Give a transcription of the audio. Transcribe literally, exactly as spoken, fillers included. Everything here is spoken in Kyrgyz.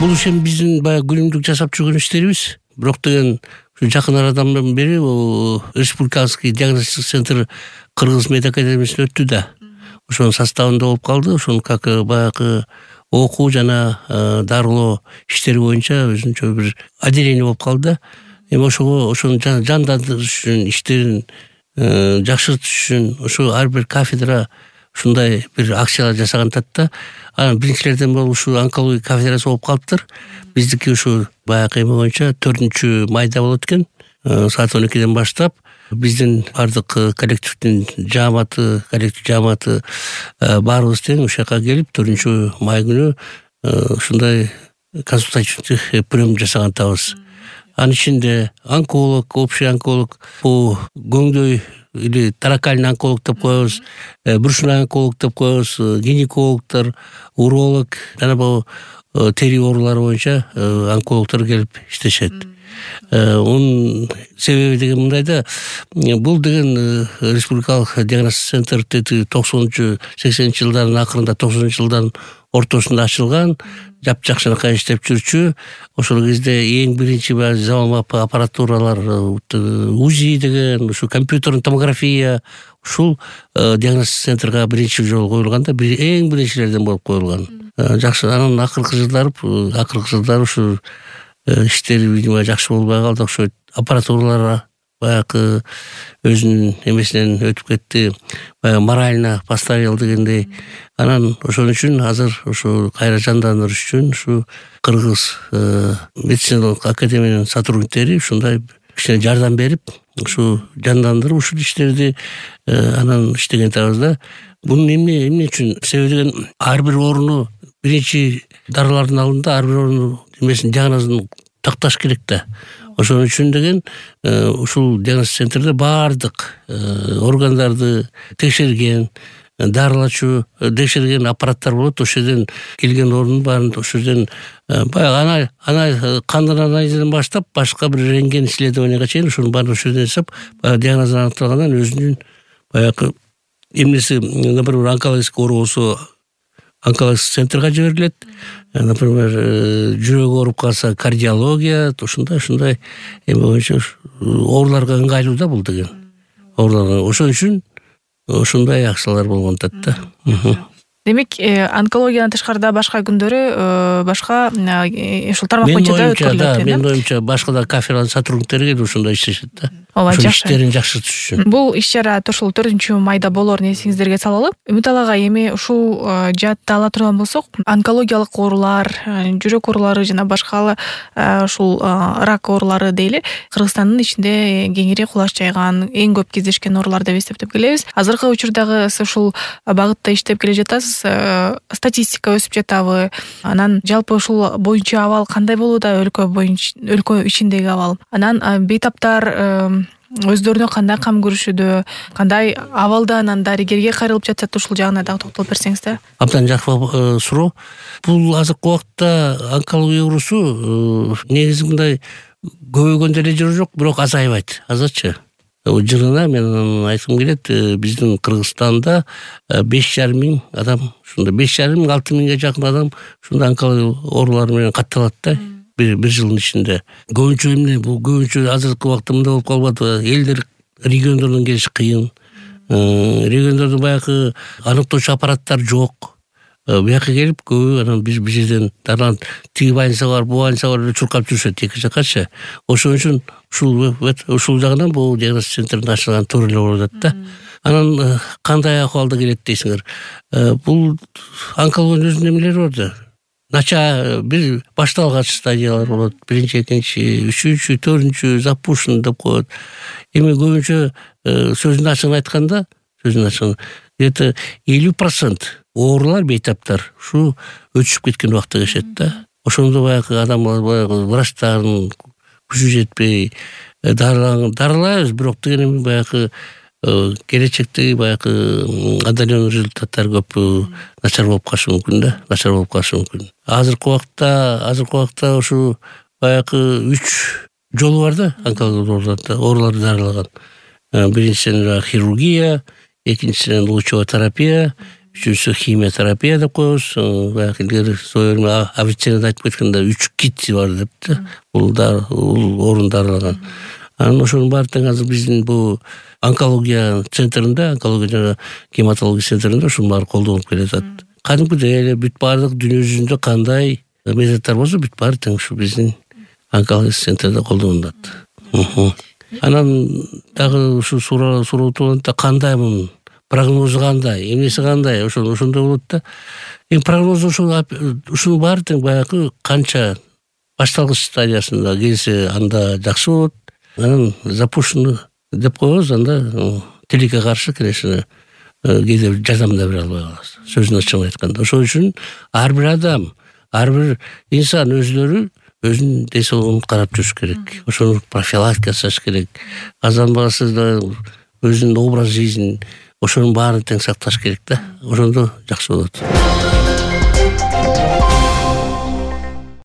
Бул ишен биздин баягы күнүмдүк жасап жүргөн иштерибиз. Бирок деген ушу жакын арадан бери республикалык диагностик центр Кыргыз мед академиясына өттү да. Ошонун составында болуп калды. Ошонун как баягы окуу жана дарылоо иштери боюнча өзүнчө бир отделение болуп калды. Эми ошого ошону жандандырыш үчүн, иштерин жакшыртыш үчүн ошо ар бир кафедра ушундай бир акциялар жасагантат да. Анан биринчилерден болуп ушу онкология кафедрасы болуп калыптыр. Биздики ушу баягы эме боюнча төртүнчү майда болот экен. Саат он экиден баштап биздин бардык коллективдин жааматы, коллектив жааматы баарыбыз тең ушул жака келип төртүнчү май күнү ушундай консультативдик прием жасагантабыз. Анын ичинде онколог, общий онколог, бул көңдөй или таракальный онколог деп коебуз, брюшной онколог деп коебуз, гинекологдор, уролог, жана бул тери оорулары боюнча онкологдор келип иштешет. Унун себеби деген мындай да, бул деген республикалык диагностик центр токсонунчу сексенинчи жылдардын акырында, токсонунчу жылдардын ортосунда ачылган, жапжакшынакай иштеп жүрчү. Ошол кезде эң биринчи заманбап аппаратуралар УЗИ деген, ушу компьютерный томография ушул диагностик центрга биринчи жолу коюлган да, эң биринчилерден болуп коюлган. Жакшы, анан акыркы жылдары, акыркы жылдары ушу иштери видимо жакшы болбой калды, окшойт. Аппаратуралар баягы өзүнүн эмесинен өтүп кетти, баягы морально постарел дегендей. Анан ошон үчүн азыр ушу кайра жандандырыш үчүн ушу Кыргыз медициналык академиянын сотрудниктери ушундай кичине жардам берип, ушу жандандырып ушул иштерди анан иштеген атабыз да. Бунун эмне эмне үчүн себеби деген, ар бир ооруну биринчи дарылардын алдында ар бир оорунун эмесин диагнозун такташ керек да. Ошон үчүн деген ушул диагностик центрде баардык органдарды текшерген, дарылачу текшерген аппараттар болот. Ошол жерден келген оорунун баарын ошол жерден баягы ана кандын анализинен баштап башка бир рентген исследованияга чейин ушунун баарын ошол жерден жасап, диагнозун аныкталгандан өзүнүн баягы эмнеси, например, онкологический оору болсо онкологический центрга жиберилет. Например, жүрөк ооруп калса кардиология, ушундай ушундай эме боюнча ооруларга ыңгайлуу да бул деген. Ооруларга ошон үчүн ушундай акциялар болгон да. Демек, онкологиядан тышкарыда башка күндөрү башка ушул тармак боюнча да өткөрүлөт экен. Мен оюмча башка да кафедралардын сотрудниктери келип ушундай иштешет да. Ооба, жакшы. Иштерин жакшыртыш үчүн. Бул иш-чара ушул төртүнчү майда болоорун эсиңиздерге салалы. Үмүт ага, эми ушул жаатта ала турган болсок, онкологиялык оорулар, жүрөк оорулары жана башка ушул рак оорулары дейли, Кыргызстандын ичинде кеңири кулаш жайган, эң көп кездешкен оорулар деп эсептеп келебиз. Азыркы учурдагы ушул багытта иштеп келе жатасыз, статистика өсүп жатабы? Анан жалпы ушул боюнча абал кандай болууда, өлкө боюнча, өлкө ичиндеги абал? Анан бейтаптар өздөрүнө кандай кам көрүшүдө, кандай абалда анан дарыгерге кайрылып жатат, ушул жагына дагы токтолуп берсеңиз да. Абдан жакшы суроо. Бул азыркы убакытта онкология оорусу негизи мындай көбөйгөн деле жери жок, бирок азайбайт, азырчы. Жылына мен айткым келет, биздин Кыргызстанда беш жарым миң адам, ушундай беш жарым миң алты миңге жакын адам ушундай онкология оорулары менен катталат да. Бир жылдын ичинде. Көбүнчө эмне, бул көбүнчө азыркы убакта мындай болуп калбады. Элдер региондордон келиш кыйын. Региондордо баягы аныктоочу аппараттар жок. Бияка келип көбү анан биз бир жерден дарылан тиги больница бар, бу больница бар деп чуркап жүрүшөт эки жаккачы. Ошон үчүн ушул ушул жагынан бул диагностик центрдин ачылган туура эле болуп атат да. Анан кандай акыбалда келет дейсиңер? Бул онкологиянын өзүнүн эмелери бар да. Нача бир башталган стадиялар болот. Биринчи, экинчи, үчүнчү, төртүнчү, запущен деп коет. Эми көбүнчө сөзүн ачыгын айтканда, сөзүн ачыгын, где-то элүү процент оорулар, бейтаптар ушу өтүшүп кеткен убакта кешет да. Ошондо баягы адамдар баягы врачтардын күчү жетпей дарылайбыз, бирок деген баягы келечектеги баягы отдаленный результаттар көп начар болуп калышы мүмкүн да, начар болуп калышы мүмкүн. Азыркы убакта, азыркы убакта ушу баягы үч жолу бар да онкология ооруларды дарылаган. Биринчисинен хирургия, экинчисинен лучевая терапия, үчүнчүсү химиотерапия деп коебуз. Баягы илгери офицер айтып кеткенде үч кит бар депти. Бул да бул орун дарылаган. Анан ошонун баары тең азыр биздин бул онкология центринде, онкология жана гематология центринде ушунун баары колдонулуп келатат. Кадимкидей эле бүт баардык дүйнө жүзүндө кандай методдор болсо бүт баары тең ушу биздин онкология центринде колдонулат. Анан дагы ушу суроо кандай мунун прогнозу кандай, эмнеси кандай, ошондо ошондой болот да. Эми прогноз ошол ушунун баары тең баягы канча башталгыч стадиясында келсе анда жакшы болот. Анан запущенный деп коебуз, анда тилекке каршы, конечно, кээде жардам да бере албай калабыз. Сөзүн ачыгын айтканда. Ошол үчүн ар бир адам, ар бир инсан өздөрү өзүнүн ден соолугун карап жүрүш керек. Ошону профилактика жасаш керек. Казанбасы да өзүнүн образ жизнин ошонун баарын тең сакташ керек да. Ошондо жакшы болот.